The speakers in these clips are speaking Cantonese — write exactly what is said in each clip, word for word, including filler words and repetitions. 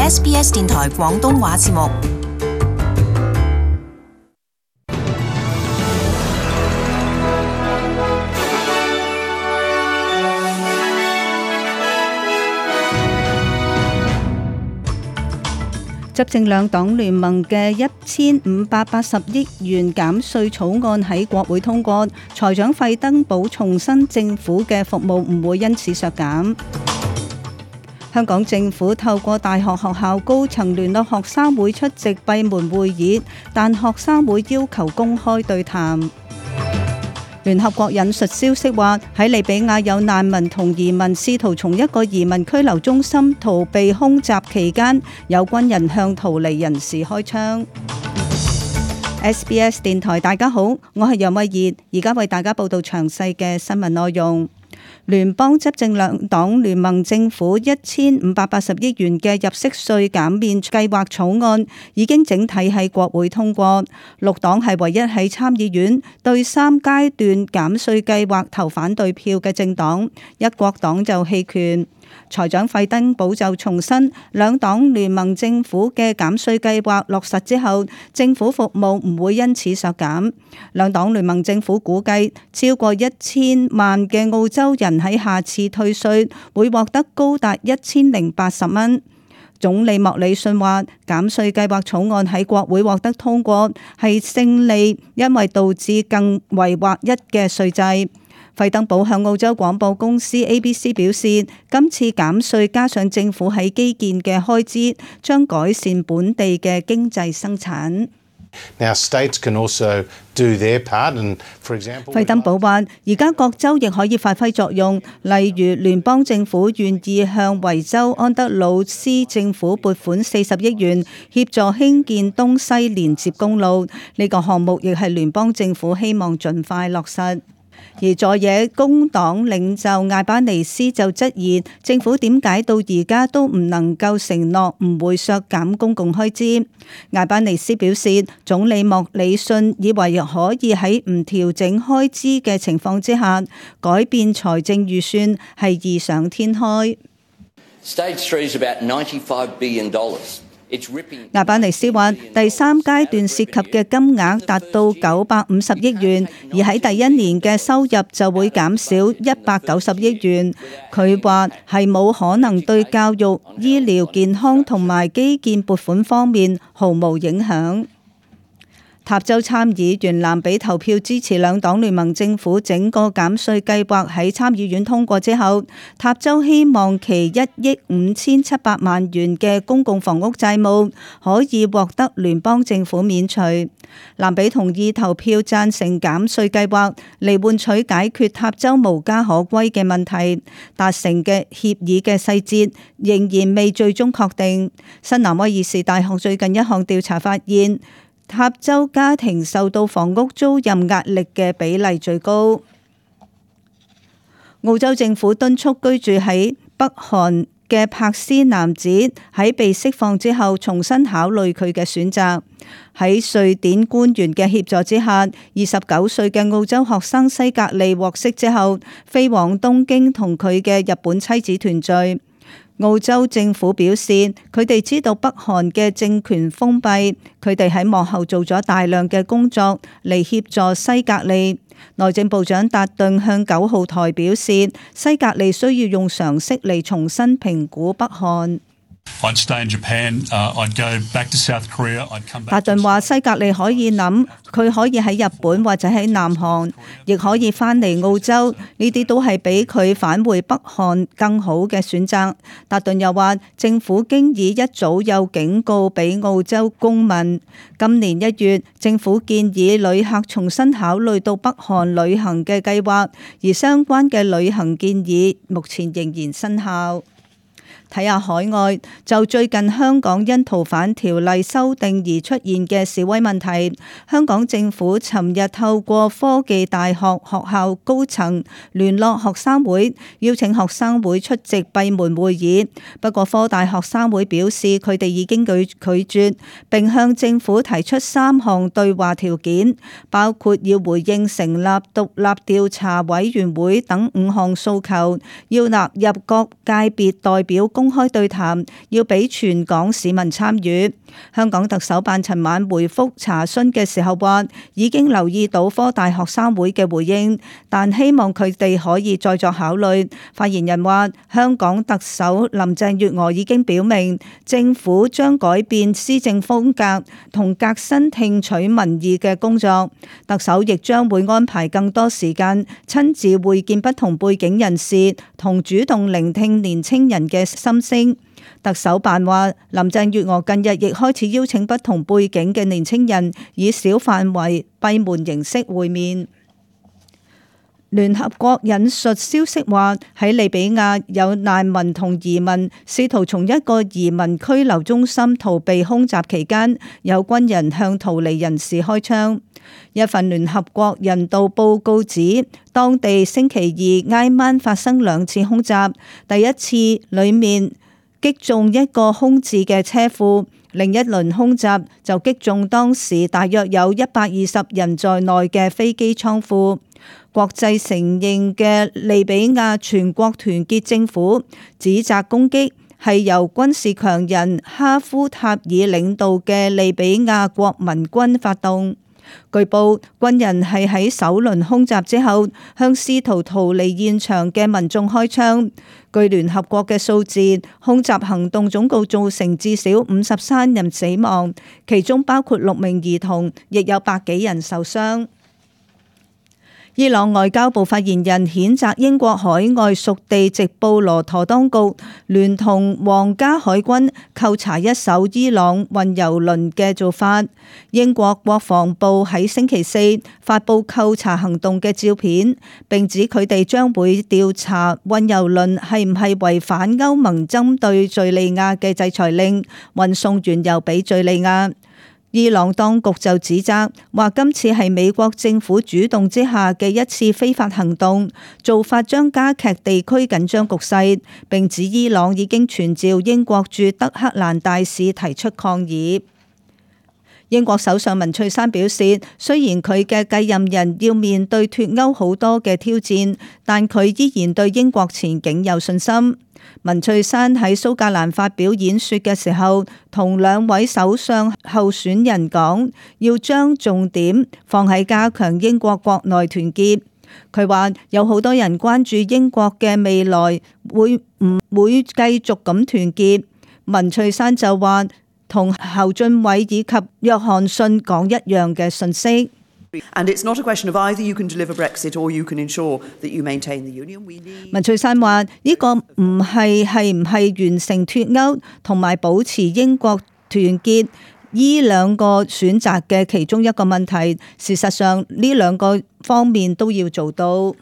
S B S 電台廣東話節目。執政兩黨聯盟嘅一千五百八十億元減稅草案喺國會通過，財長費登堡重申政府嘅服務唔會因此削減。香港政府透過大學學校高層聯絡學生會出席閉門會議，但學生會要求公開對談。聯合國引述消息話，喺利比亞有難民同移民試圖從一個移民拘留中心逃避空襲期間，有軍人向逃離人士開槍。S B S 電台大家好，我係楊慧儀，而家為大家報道詳細嘅新聞內容。聯邦執政兩黨聯盟政府一千五百八十億元嘅入息稅減免計劃草案已經整體喺國會通過，綠黨係唯一喺參議院對三階段減稅計劃投反對票嘅政黨，一國黨就棄權。財長費登堡就重申，兩黨聯盟政府嘅減稅計劃落實之後，政府服務唔會因此削減。兩黨聯盟政府估計，超過一千萬嘅澳洲人喺下次退稅會獲得高達一千零八十蚊。總理莫里遜話，減稅計劃草案喺國會獲得通過係勝利，因為導致更為劃一嘅稅制。費登堡向澳洲廣播公司 A B C 表示，今次減稅加上政府喺基建嘅開支，將改善本地嘅經濟生產。Now, states can also do their part, and for example, 費登堡話，而家各州亦可以發揮作用，例如聯邦政府願意向維州安德魯斯政府撥款四十億元，協助興建東西連接公路。呢、這個項目亦係聯邦政府希望盡快落實。而在野工黨領袖艾巴尼斯就質疑政府點解到而家都唔能夠承諾唔會削減公共開支。艾巴尼斯表示，總理莫里遜以為可以喺唔調整開支嘅情況之下改變財政預算係異想天開。Stage three is about ninety-five billion dollars. 亞巴尼斯話，第三階段涉及嘅金額達到九百五十億元，而喺第一年嘅收入就會減少一百九十億元。佢話係冇可能對教育、醫療、健康同埋基建撥款方面毫無影響。塔州參議員蘭比投票支持兩黨聯盟政府整個減稅計劃喺參議院通過之後，塔州希望其一億五千七百萬元嘅公共房屋債務可以獲得聯邦政府免除。蘭比同意投票贊成減稅計劃嚟換取解決塔州無家可歸嘅問題，達成嘅協議嘅細節仍然未最終確定。新南威爾士大學最近一項調查發現，塔州家庭受到房屋租賃壓力嘅比例最高。澳洲政府敦促居住喺北韓嘅柏斯男子喺被釋放之後重新考慮佢嘅選擇。喺瑞典官員嘅協助之下，二十九歲嘅澳洲學生西格利獲釋之後，飛往東京同佢嘅日本妻子團聚。澳洲政府表示，佢哋知道北韓嘅政權封閉，佢哋喺幕後做咗大量嘅工作嚟協助西格利。內政部長達頓向九號台表示，西格利需要用常識嚟重新評估北韓。I'd stay in Japan, uh, I'd go back to South Korea, I'd come back. 達頓話西格利可以諗，佢可以喺日本或者喺南韓，亦可以返嚟澳洲，呢啲都係比佢返回北韓更好嘅選擇。達頓又話，政府經已一早有警告俾澳洲公民。今年一月，政府建議旅客重新考慮到北韓旅行嘅計劃，而相關嘅旅行建議目前仍然生效。睇下海外，就最近香港因逃犯條例修訂而出現嘅示威問題，香港政府尋日透過科技大學學校高層聯絡學生會，邀請學生會出席閉門會議。不過科大學生會表示，佢哋已經拒拒絕，並向政府提出三項對話條件，包括要回應成立獨立調查委員會等五項訴求，要納入各界別代表公開對談，要俾全港市民參與。香港特首辦尋晚回覆查詢嘅時候話，已經留意到科大學生會嘅回應，但希望佢哋可以再作考慮。發言人話，香港特首林鄭月娥已經表明，政府將改變施政風格同革新聽取民意嘅工作。特首亦將會安排更多時間親自會見不同背景人士，同主動聆聽年青人嘅心聲。特首辦話，林鄭月娥近日亦開始邀請不同背景嘅年青人以小範圍閉門形式會面。聯合國引述消息話，喺利比亞有難民同移民試圖從一個移民拘留中心逃避空襲期間，有軍人向逃離人士開槍。一份聯合國人道報告指，當地星期二挨晚發生兩次空襲，第一次裏面擊中一個空置嘅車庫，另一輪空襲就擊中當時大約有一百二十人在內嘅飛機倉庫。國際承認嘅利比亞全國團結政府指責攻擊係由軍事強人哈夫塔爾領導嘅利比亞國民軍發動。據報，軍人係喺首輪空襲之後向試圖逃離現場嘅民眾開槍。據聯合國嘅數字，空襲行動總共造成至少五十三人死亡，其中包括六名兒童，亦有百幾人受傷。伊朗外交部發言人譴責英國海外屬地直布羅陀當局聯同皇家海軍扣查一艘伊朗運油輪嘅做法。英國國防部喺星期四發布扣查行動嘅照片，並指佢哋將會調查運油輪係唔係違反歐盟針對敘利亞嘅制裁令，運送原油俾敘利亞。伊朗當局就指責話，今次係美國政府主動之下嘅一次非法行動，做法將加劇地區緊張局勢，並指伊朗已經傳召英國駐德黑蘭大使提出抗議。英國首相文翠珊表示，雖然佢嘅繼任人要面對脫歐好多嘅挑戰，但佢依然對英國前景有信心。文翠珊喺蘇格蘭發表演說嘅時候，同兩位首相候選人講，要將重點放喺加強英國國內團結。佢話有好多人關注英國嘅未來會唔會繼續咁團結。文翠珊就話同侯俊偉以及約翰遜講一樣嘅信息。And it's not a question of either you can deliver Brexit or you can ensure that you maintain the union. We need... 文翠珊話：呢個唔係係唔係完成脫歐同埋保持英國團結呢兩個選擇嘅其中一個問題。事實上，呢兩個方面都要做到。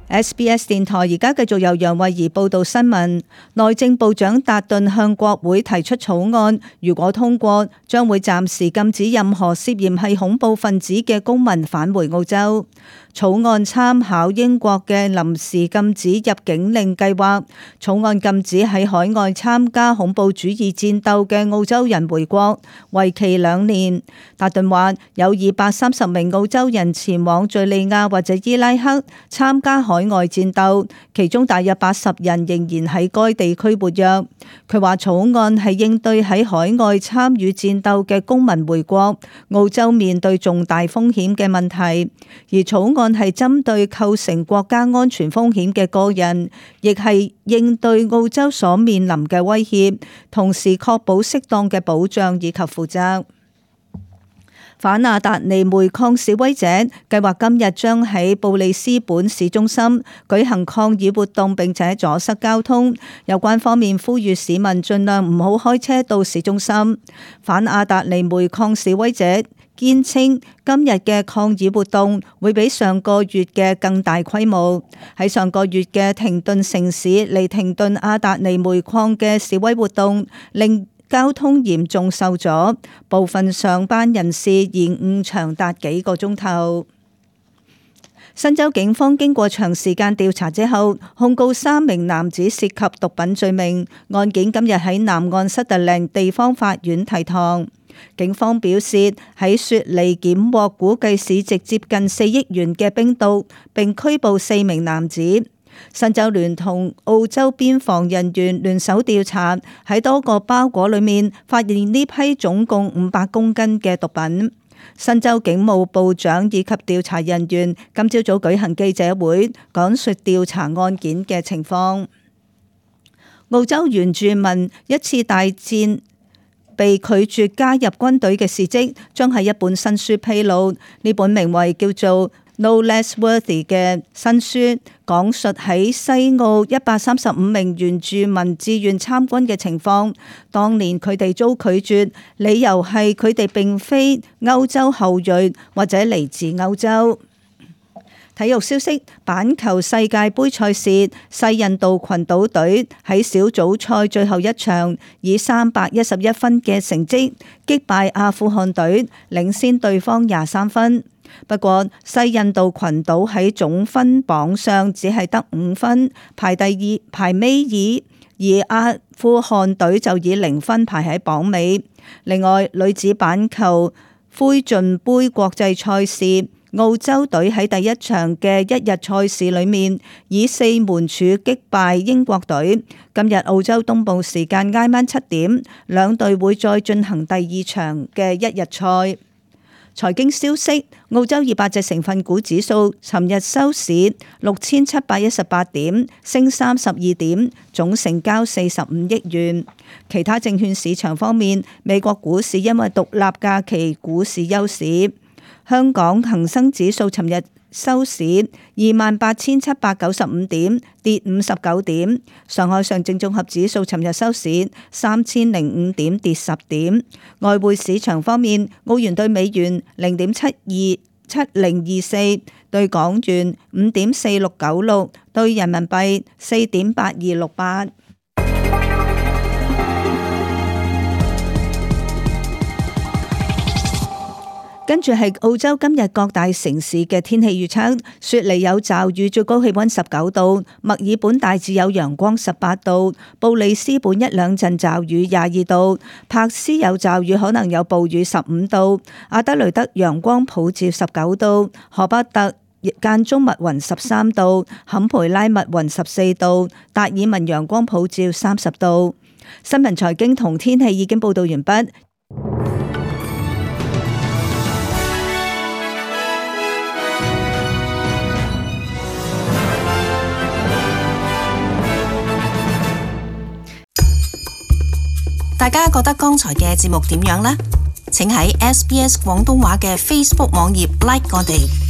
S B S 電台而家繼續由楊慧儀報道新聞。內政部長達頓向國會提出草案，如果通過，將會暫時禁止任何涉嫌係恐怖分子嘅公民返回澳洲。草案參考英國嘅臨時禁止入境令計劃，草案禁止喺海外參加恐怖主義戰鬥嘅澳洲人回國，為期兩年。達頓話有二百三十名澳洲人前往敘利亞或者伊拉克參加海外戰鬥，其中大約八十人仍然喺該地區活躍。佢話草案係應對喺海外參與戰鬥嘅公民回國，澳洲面對重大風險嘅問題，而草案係針對構成國家安全風險嘅個人，亦係應對澳洲所面臨嘅威脅，同時確保適當嘅保障以及負責。反亞達尼煤礦示威者計劃今日將喺布里斯本市中心舉行抗議活動，並且阻塞交通。有關方面呼籲市民盡量唔好開車到市中心。反亞達尼煤礦示威者堅稱今日嘅抗議活動會比上個月嘅更大規模。喺上個月嘅停頓城市嚟停頓亞達尼煤礦嘅示威活動令交通嚴重受阻，部分上班人士延誤長達幾個鐘頭。新州警方經過長時間調查之後，控告三名男子涉及毒品罪名，案件今日喺南岸塞特靈地方法院提堂。警方表示喺雪梨檢獲估計市值接近四億元嘅冰毒，並拘捕四名男子。新州聯同澳洲邊防人員聯手調查，喺多個包裹裏面發現呢批總共五百公斤嘅毒品。新州警務部長以及調查人員今朝早舉行記者會，講述調查案件嘅情況。澳洲原住民一次大戰被拒絕加入軍隊嘅事蹟，將係一本新書披露。呢本名為叫做 No Less Worthy 嘅新書，講述喺西澳一百三十五名原住民志願參軍嘅情況。當年佢哋遭拒絕，理由係佢哋並非歐洲後裔或者嚟自歐洲。體育消息：板球世界盃賽事，西印度群島隊喺小組賽最後一場以三百一十一分嘅成績擊敗阿富汗隊，領先對方廿三分。不過西印度群島喺總分榜上只係得五分，排第二，排尾二，而阿富汗隊就以零分排喺榜尾。另外，女子板球灰燼杯國際賽事，澳洲隊喺第一場嘅一日賽事裏面以四門柱擊敗英國隊。今日澳洲東部時間挨晚七點，兩隊會再進行第二場嘅一日賽。財經消息：澳洲二百隻成分股指數尋日收市六千七百一十八點，升三十二點，總成交四十五億元。其他證券市場方面，美國股市因為獨立假期股市休市。香港恒生指數尋日收市二萬八千七百九十五點，跌五十九點。上海上證綜合指數尋日收市三千零五點，跌十點。外匯市場方面，澳元對美元零點七二七零二四，對港元五點四六九六，對人民幣四點八二六八。跟住係澳洲今日各大城市嘅天氣預測：雪梨有驟雨，最高氣溫十九度；墨爾本大致有陽光，十八度；布里斯本一兩陣驟雨，廿二度；柏斯有驟雨，可能有暴雨，十五度；阿德雷德陽光普照，十九度；荷巴特間中密雲，十三度；坎培拉密雲，十四度；達爾文陽光普照，三十度。新聞財經同天氣已經報道完畢。大家覺得剛才嘅節目點樣呢？請喺 S B S 廣東話嘅 Facebook 網頁 like 我哋。